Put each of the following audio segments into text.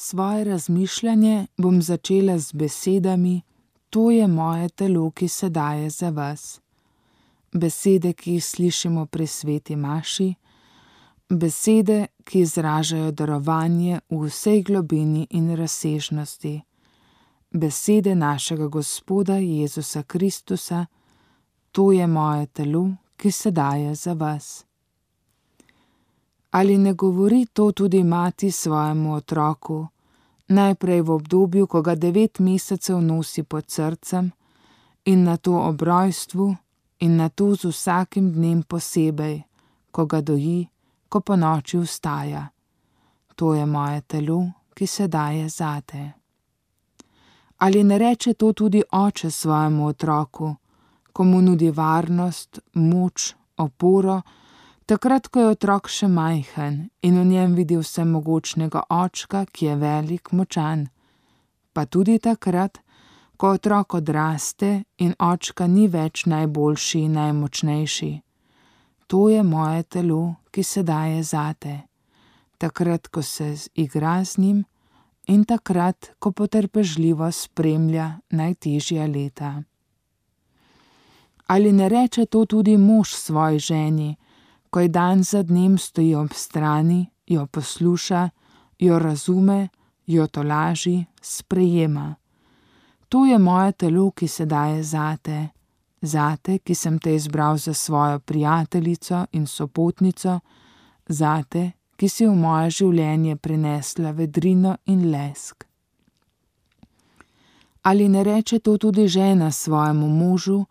Svoje razmišljanje bom začela z besedami: to je moje telo, ki se daje za vas. Besede, ki jih slišimo pri sveti maši, besede, ki izražajo darovanje v vsej globini in razsežnosti. Besede našega Gospoda Jezusa Kristusa: to je moje telo, ki se daje za vas. Ali ne govori to tudi mati svojemu otroku, najprej v obdobju, ko ga 9 mesecev nosi pod srcem, in nato ob rojstvu, in nato z vsakim dnem posebej, ko ga doji, ko ponoči vstaja: to je moje telo, ki se daje zate. Ali ne reče to tudi oče svojemu otroku, ko mu nudi varnost, moč, oporo, takrat, ko je otrok še majhen in v njem vidi vsemogočnega očka, ki je velik, močan, pa tudi takrat, ko otrok odraste in očka ni več najboljši in najmočnejši: to je moje telo, ki se daje zate, takrat, ko se igra z njim in takrat, ko potrpežljivo spremlja najtežja leta. Ali ne reče to tudi mož svoji ženi, ko ji dan za dnem stoji ob strani, jo posluša, jo razume, jo tolaži, sprejema: to je moje telo, ki se daje zate, zate, ki sem te izbral za svojo prijateljico in sopotnico, zate, ki si v moje življenje prinesla vedrino in lesk. Ali ne reče to tudi žena svojemu možu,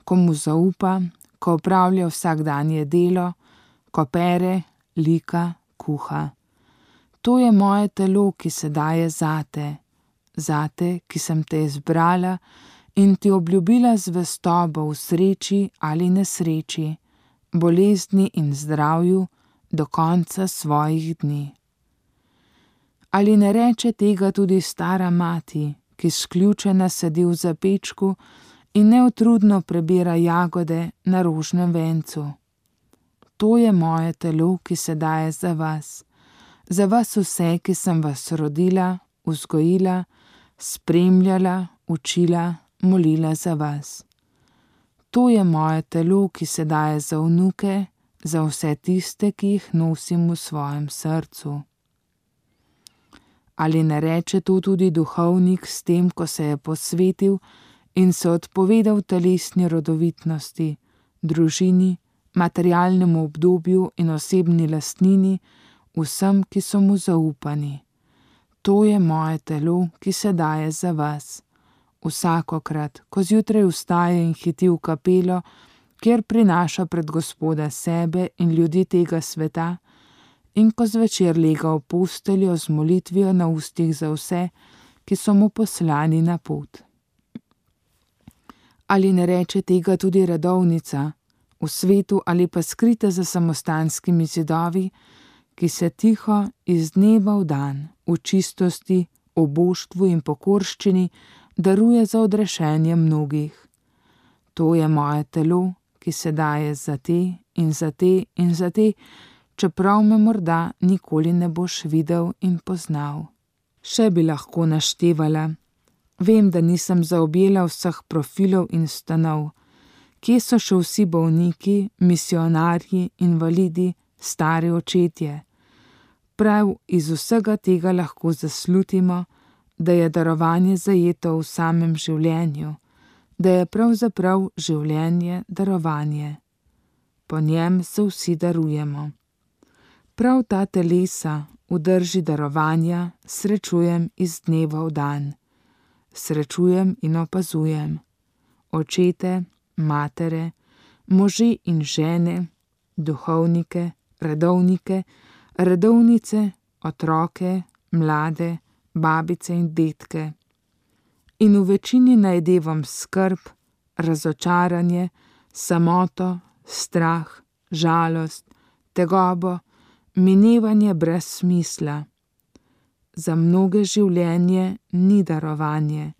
ko mu zaupa, ko opravlja vsakdanje delo, ko pere, lika, kuha: to je moje telo, ki se daje zate, zate, ki sem te izbrala in ti obljubila zvestobo v sreči ali nesreči, bolezni in zdravju do konca svojih dni. Ali ne reče tega tudi stara mati, ki sključena sedi v zapečku in neutrudno prebira jagode na rožnem vencu: to je moje telo, ki se daje za vas vse, ki sem vas rodila, vzgojila, spremljala, učila, molila za vas. To je moje telo, ki se daje za vnuke, za vse tiste, ki jih nosim v svojem srcu. Ali ne reče to tudi duhovnik s tem, ko se je posvetil in se odpovedal telesni rodovitnosti, družini, materialnemu obdobju in osebni lastnini, vsem, ki so mu zaupani: to je moje telo, ki se daje za vas. Vsakokrat, ko zjutraj vstaje in hiti v kapelo, kjer prinaša pred Gospoda sebe in ljudi tega sveta, in ko zvečer lega v posteljo z molitvijo na ustih za vse, ki so mu poslani na pot. Ali ne reče tega tudi redovnica, v svetu ali pa skrita za samostanskimi zidovi, ki se tiho iz dneva v dan, v čistosti, oboštvu in pokorščini daruje za odrešenje mnogih: to je moje telo, ki se daje za te in za te in za te, čeprav me morda nikoli ne boš videl in poznal. Še bi lahko naštevala. Vem, da nisem zaobjela vseh profilov in stanov. Kje so še vsi bolniki, misionarji, invalidi, stari očetje? Prav iz vsega tega lahko zaslutimo, da je darovanje zajeto v samem življenju, da je pravzaprav življenje darovanje. Po njem se vsi darujemo. Prav ta telesa v drži darovanja srečujem iz dneva v dan. Srečujem in opazujem očete, matere, može in žene, duhovnike, redovnike, redovnice, otroke, mlade, babice in detke. In v večini najdevam skrb, razočaranje, samoto, strah, žalost, tegobo, minevanje brez smisla. Za mnoge življenje ni darovanje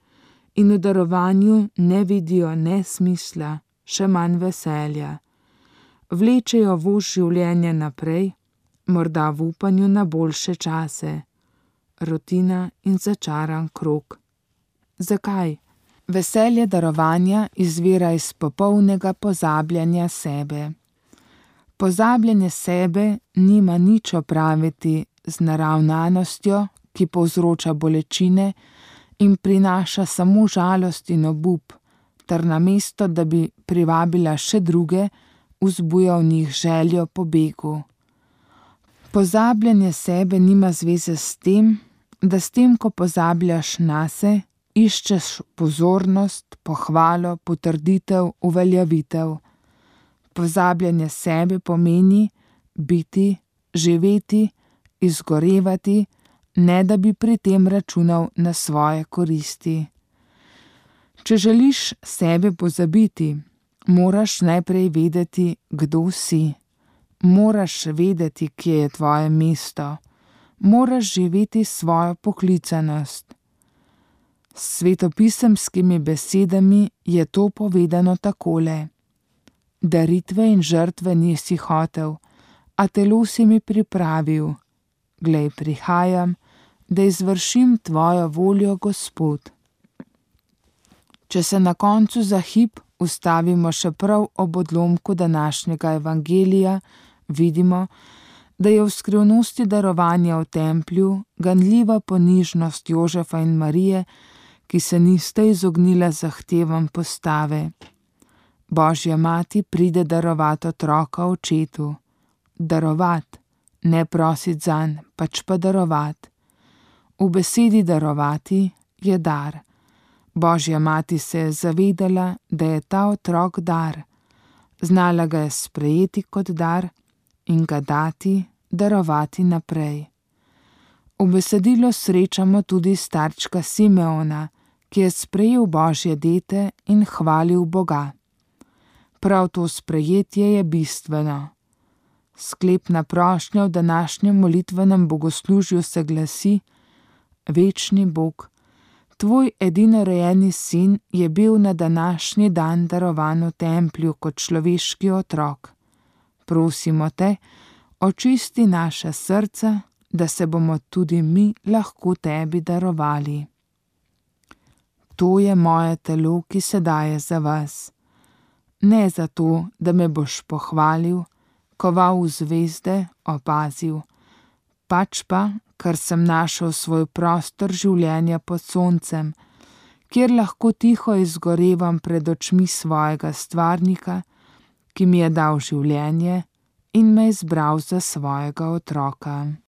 in v darovanju ne vidijo ne smisla, še manj veselja. Vlečejo voz življenja naprej, morda v upanju na boljše čase. rutina in začaran krog. Zakaj? Veselje darovanja izvira iz popolnega pozabljanja sebe. Pozabljanje sebe nima nič opraviti z naravnanostjo, ki povzroča bolečine in prinaša samo žalost in obup, ter namesto, da bi privabila še druge, vzbuja v njih željo po begu. Pozabljanje sebe nima zveze s tem, da s tem, ko pozabljaš nase, iščeš pozornost, pohvalo, potrditev, uveljavitev. Pozabljanje sebe pomeni biti, živeti, izgorevati, ne da bi pri tem računal na svoje koristi. Če želiš sebe pozabiti, moraš najprej vedeti, kdo si. Moraš vedeti, kje je tvoje mesto. Moraš živeti svojo poklicanost. S svetopisemskimi besedami je to povedano takole: daritve in žrtve nisi hotel, a telo si mi pripravil. Glej, prihajam, da izvršim tvojo voljo, Gospod. Če se na koncu za hip ustavimo še prav ob odlomku današnjega evangelija, vidimo, da je v skrivnosti darovanja v templju ganljiva ponižnost Jožefa in Marije, ki se nista izognila zahtevam postave. Božja mati pride darovat otroka očetu. Darovat, ne prosit zanj, pač pa darovat. V besedi darovati je dar. Božja mati se je zavedala, da je ta otrok dar. Znala ga je sprejeti kot dar in ga dati, darovati naprej. V besedilu srečamo tudi starčka Simeona, ki je sprejel Božje dete in hvalil Boga. Prav to sprejetje je bistveno. Sklepna prošnja v današnjem molitvenem bogoslužju se glasi: Večni Bog, tvoj edinorojeni sin je bil na današnji dan darovan v templju kot človeški otrok. Prosimo te, očisti naša srca, da se bomo tudi mi lahko tebi darovali. To je moje telo, ki se daje za vas. Ne zato, da me boš pohvalil, koval v zvezde, opazil, pač pa, ker sem našel svoj prostor življenja pod soncem, kjer lahko tiho izgorevam pred očmi svojega stvarnika, ki mi je dal življenje in me izbral za svojega otroka.